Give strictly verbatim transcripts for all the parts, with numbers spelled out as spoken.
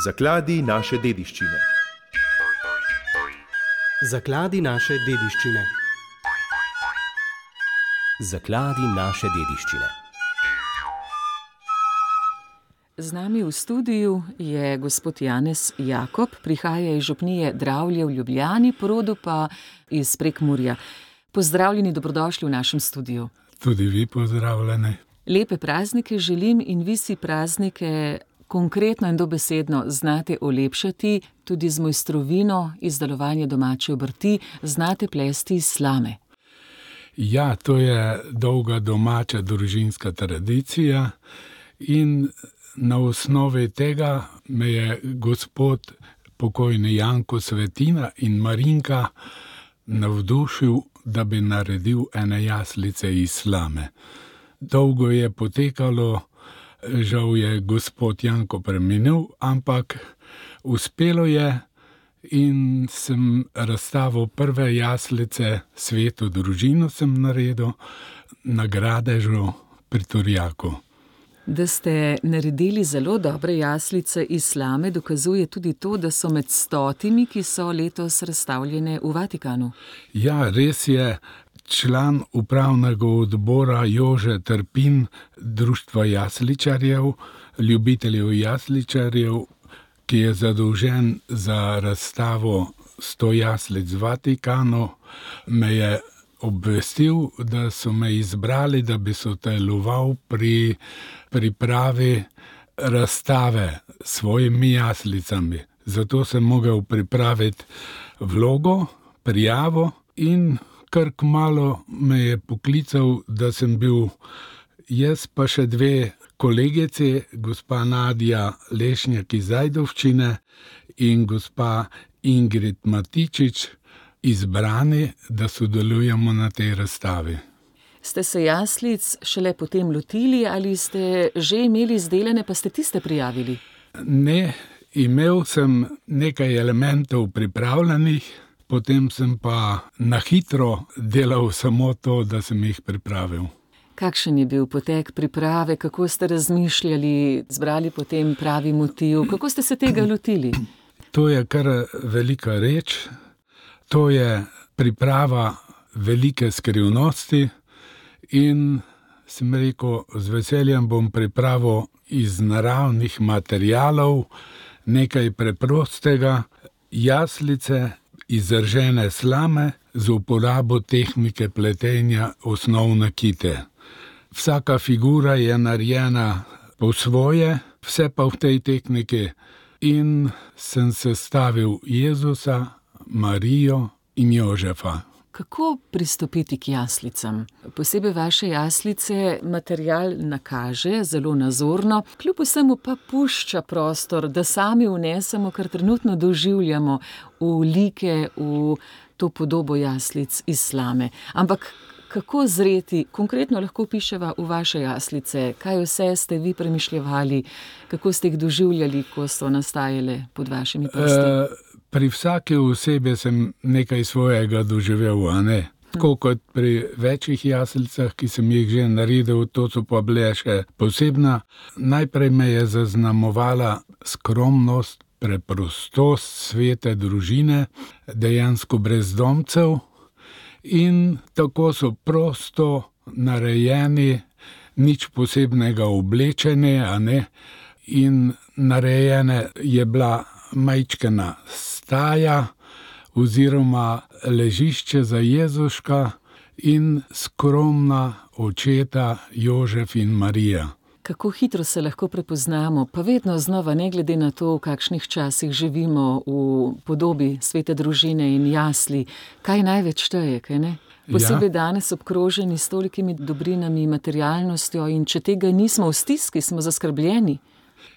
Zakladi naše dediščine. Zakladi naše dediščine. Zakladi naše dediščine. Z nami v studiu je gospod Janez Jakob, prihaja iz župnije Dravlje v Ljubljani, po rodu pa iz Prekmurja. Pozdravljeni, dobrodošli v našem studiu. Tudi vi pozdravljeni. Lepe praznike želim in vi si praznike konkretno in dobesedno znate olepšati, tudi z mojstrovino izdelovanja domače obrti, znate plesti iz slame. Ja, to je dolga domača družinska tradicija in na osnovi tega me je gospod pokojni Janko Svetina in Marinka navdušil, da bi naredil ene jaslice iz slame. Dolgo je potekalo, žal je gospod Janko preminil, ampak uspelo je in sem razstavil prve jaslice, sveto družino sem naredil na Gradežu pri Turjaku. Da ste naredili zelo dobre jaslice iz slame, dokazuje tudi to, da so med stotimi, ki so letos razstavljene v Vatikanu. Ja, res je. Član upravnega odbora Jože Trpin, Društva jasličarjev, ljubiteljev jasličarjev, ki je zadolžen za razstavo sto jaslic v Vatikanu, me je obvestil, da so me izbrali, da bi sodeloval pri pripravi razstave s svojimi jaslicami. Zato sem mogel pripraviti vlogo, prijavo in kar kmalu me je poklical, da sem bil jaz pa še dve kolegici, gospa Nadja Lešnjak iz Ajdovščine in gospa Ingrid Matičič, izbrani, da sodelujemo na tej razstavi. Ste se jaslic šele potem lotili ali ste že imeli izdelane, pa ste tiste prijavili? Ne, imel sem nekaj elementov pripravljenih, potem sem pa na hitro delal samo to, da sem jih pripravil. Kakšen je bil potek priprave, kako ste razmišljali, zbrali potem pravi motiv, kako ste se tega lotili? To je kar velika reč, to je priprava velike skrivnosti in sem rekel, z veseljem bom pripravil iz naravnih materialov nekaj preprostega, jaslice iz ržene slame z uporabo tehnike pletenja osnovne kite. Vsaka figura je narejena po svoje, vse pa v tej tehniki, in sem sestavil Jezusa, Marijo in Jožefa. Kako pristopiti k jaslicam? Posebej vaše jaslice material nakaže zelo nazorno, kljub vsemu pa pušča prostor, da sami vnesemo, kar trenutno doživljamo, v like, v to podobo jaslic iz slame. Ampak kako zreti, konkretno lahko piševa v vaše jaslice, kaj vse ste vi premišljevali, kako ste jih doživljali, ko so nastajale pod vašimi prsti? E, pri vsaki osebi sem nekaj svojega doživel, a ne? Tako kot pri večjih jaslicah, ki sem jih že naredil, to so pa bile še posebna. Najprej me je zaznamovala skromnost, preprostost svete družine, dejansko brezdomcev, in tako so prosto narejeni, nič posebnega oblečeni, a ne, in narejene je bila majčkena staja oziroma ležišče za Jezuška in skromna očeta Jožef in Marija. Kako hitro se lahko prepoznamo, pa vedno znova, ne glede na to, v kakšnih časih živimo, v podobi svete družine in jasli, kaj največ šteje, kaj ne? Posebej ja. Danes obkroženi s tolikimi dobrinami, materialnostjo, in če tega nismo v stiski, smo zaskrbljeni.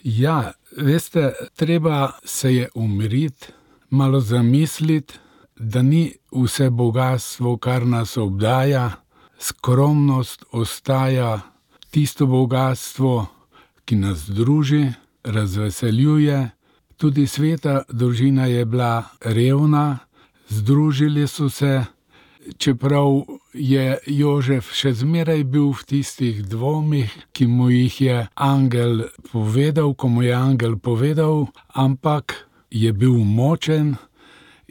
Ja, veste, treba se je umiriti, malo zamisliti, da ni vse bogastvo, kar nas obdaja, skromnost ostaja tisto bogastvo, ki nas druži, razveseljuje. Tudi sveta družina je bila revna, združili so se, čeprav je Jožef še zmeraj bil v tistih dvomih, ki mu jih je angel povedal, ko mu je angel povedal, ampak je bil močen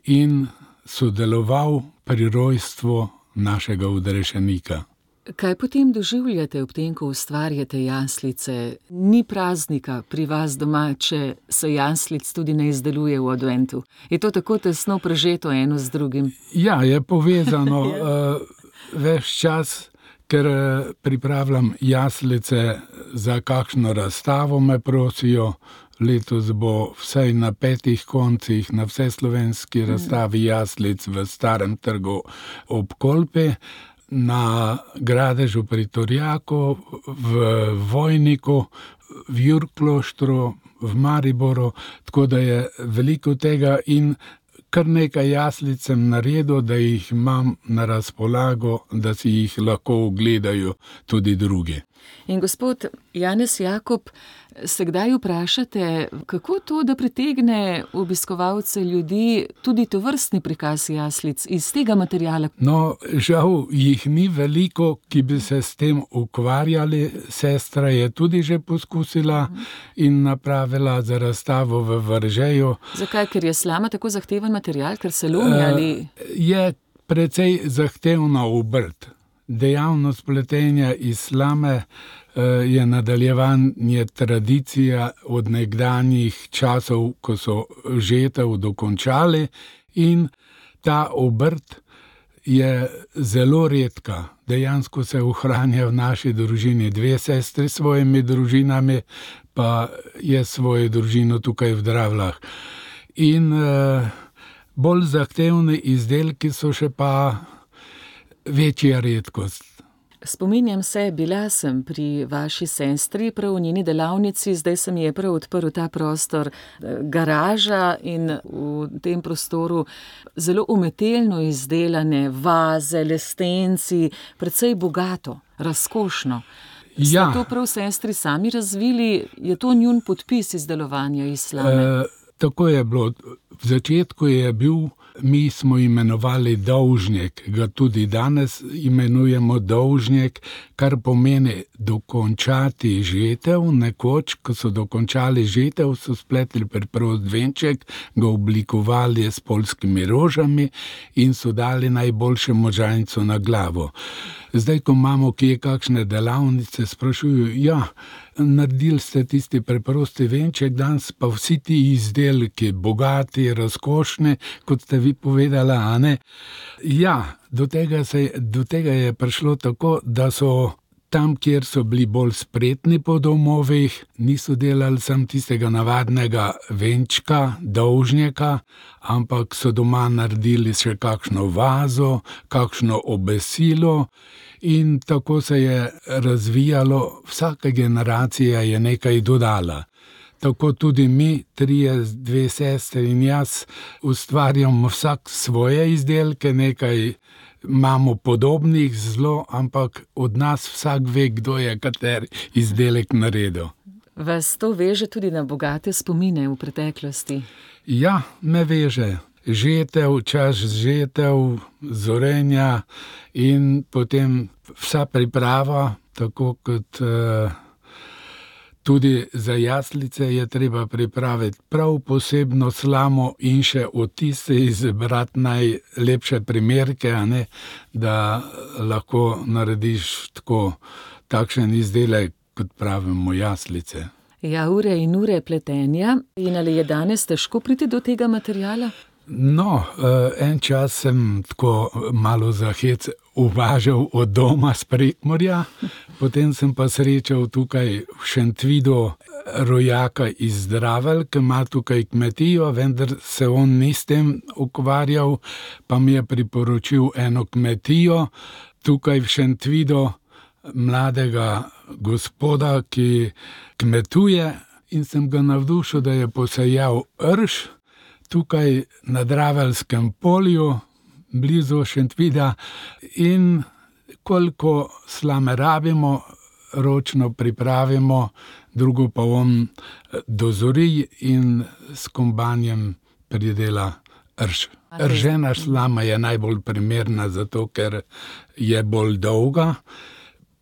in sodeloval pri rojstvu našega odrešenika. Kaj potem doživljate ob tem, ko ustvarjate jaslice? Ni praznika pri vas doma, če se jaslic tudi ne izdeluje v adventu. Je to tako tesno prežeto eno z drugim? Ja, je povezano uh, ves čas, ker pripravljam jaslice za kakšno razstavo, me prosijo. Letos bo vsaj na petih koncih na vseslovenski razstavi jaslic v Starem trgu ob Kolpi, na Gradežu pri Torjaku, v Vojniku, v Jurkloštru, v Mariboru, tako da je veliko tega in kar nekaj jaslic sem naredil, da jih imam na razpolago, da si jih lahko ogledajo tudi drugi. In gospod Janez Jakob, se kdaj vprašate, kako to, da pritegne obiskovalce ljudi tudi tovrstni prikaz jaslic iz tega materiala? No, žal jih ni veliko, ki bi se s tem ukvarjali. Sestra je tudi že poskusila in napravila za razstavo v Veržeju. Zakaj? Ker je slama tako zahteven material, ker se lomi ali... Je precej zahtevna obrt. Dejavnost pletenja iz slame je nadaljevanje tradicija od nekdanjih časov, ko so žetev dokončali, in ta obrt je zelo redka. Dejansko se ohranja v naši družini dve sestri s svojimi družinami, pa je svojo družino tukaj v Dravljah. In uh, bolj zahtevni izdelki so še pa večja redkost. Spominjam se, bila sem pri vaši sestri, prav v njeni delavnici, zdaj se mi je prav odprl ta prostor, garaža, in v tem prostoru zelo umetelno izdelane vaze, lestenci, precej bogato, razkošno. Ste Ja. to prav sestri sami razvili? Je to njun podpis izdelovanja iz slame? E, tako je bilo. V začetku je bil, mi smo imenovali dolžnik, ga tudi danes imenujemo dolžnik, kar pomeni dokončati žetev. Nekoč, ko so dokončali žetev, so spletli preprost venček, ga oblikovali s poljskimi rožami in so dali najboljše možanjco na glavo. Zdaj, ko imamo kje kakšne delavnice, sprašujo, ja, naredili ste tisti preprosti venček, danes pa vsi ti izdelki, bogati, razkošni, kot ste vi povedala, a ne? Ja, do tega, se, do tega je prišlo tako, da so tam, kjer so bili bolj spretni po domovih, niso delali sam tistega navadnega venčka, dolžnika, ampak so doma naredili še kakšno vazo, kakšno obesilo, in tako se je razvijalo, vsaka generacija je nekaj dodala. Tako tudi mi, trije, dve sestri in jaz, ustvarjamo vsak svoje izdelke, nekaj imamo podobnih zelo, ampak od nas vsak ve, kdo je kateri izdelek naredil. Vas to veže tudi na bogate spomine v preteklosti? Ja, me veže. Žetev, čas žetev, zorenja in potem vsa priprava, tako kot uh, tudi za jaslice je treba pripraviti prav posebno slamo in še od tiste izbrati najlepše primerke, a ne, da lahko narediš tako takšen izdelek, kot pravimo jaslice. Ja, ure in ure pletenja. In ali je danes težko priti do tega materiala? No, en čas sem tako malo za hec uvažal od doma s Prekmurja, potem sem pa srečal tukaj v Šentvidu rojaka iz Dravelj, ki ima tukaj kmetijo, vendar se on ni s tem ukvarjal, pa mi je priporočil eno kmetijo tukaj v Šentvidu, mladega gospoda, ki kmetuje, in sem ga navdušil, da je posejal rž tukaj na Draveljskem polju, blizu Šentvida, in koliko slame rabimo, ročno pripravimo, drugo pa on dozori in s kombanjem pridela rž. Ržena slama je najbolj primerna zato, ker je bolj dolga.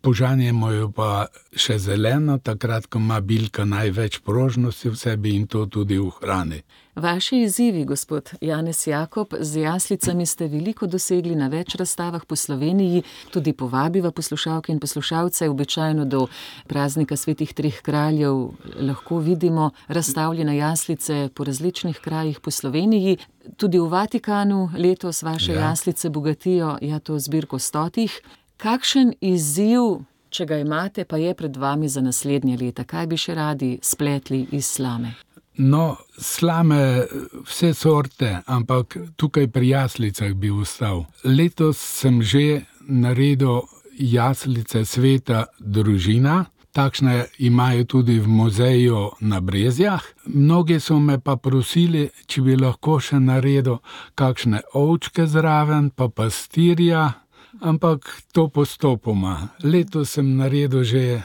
Požanjemo jo pa še zeleno, takrat, ko ima bilka največ prožnosti v sebi in to tudi v hrani. Vaši izzivi, gospod Janez Jakob, z jaslicami ste veliko dosegli na več razstavah po Sloveniji, tudi povabiva poslušalke in poslušalce, običajno do praznika svetih treh kraljev lahko vidimo razstavljene jaslice po različnih krajih po Sloveniji. Tudi v Vatikanu letos vaše ja. jaslice bogatijo ja, to zbirko stotih. Kakšen izziv, če ga imate, pa je pred vami za naslednje leta? Kaj bi še radi spletli iz slame? No, slame vse sorte, ampak tukaj pri jaslicah bi ostal. Letos sem že naredil jaslice sveta družina. Takšne imajo tudi v muzeju na Brezjah. Mnogi so me pa prosili, če bi lahko še naredil kakšne ovčke zraven, pa pastirja. Ampak to postopoma. Letos sem naredil že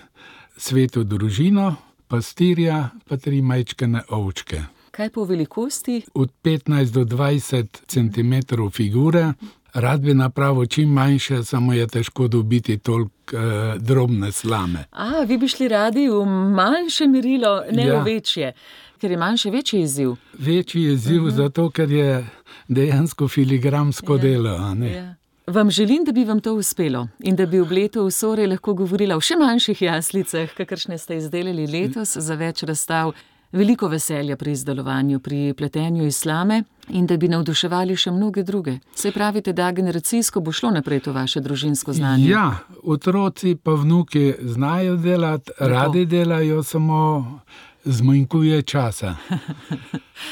sveto družino, pastirja, pa tri majčkene ovčke. Kaj po velikosti? Od petnajst do dvajset centimetrov figure. Rad bi napravil čim manjše, samo je težko dobiti toliko eh, drobne slame. A, vi bi šli radi v manjše merilo, ne Ja. v večje. Ker je manjše večji izziv. Večji izziv zato, ker je dejansko filigramsko Ja. delo, a ne? Ja. Vam želim, da bi vam to uspelo in da bi ob letu v Sore lahko govorila o še manjših jaslicah, kakršne ste izdelali letos za več razstav. Veliko veselja pri izdelovanju, pri pletenju iz slame in da bi navduševali še mnoge druge. Saj pravite, da generacijsko bo šlo naprej to vaše družinsko znanje. Ja, otroci pa vnuki znajo delati, radi delajo, samo zmanjkuje časa.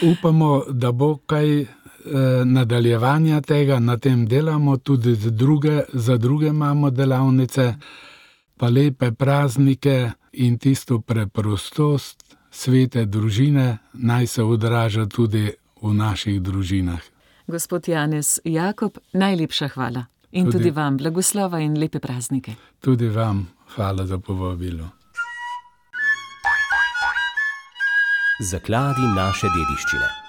Upamo, da bo kaj nadaljevanja tega, na tem delamo, tudi za druge, za druge imamo delavnice, pa lepe praznike in tisto preprostost svete družine naj se odraža tudi v naših družinah. Gospod Janez Jakob, najlepša hvala. In tudi, tudi vam blagoslova in lepe praznike. Tudi vam hvala za povabilo. Zakladi naše dediščine.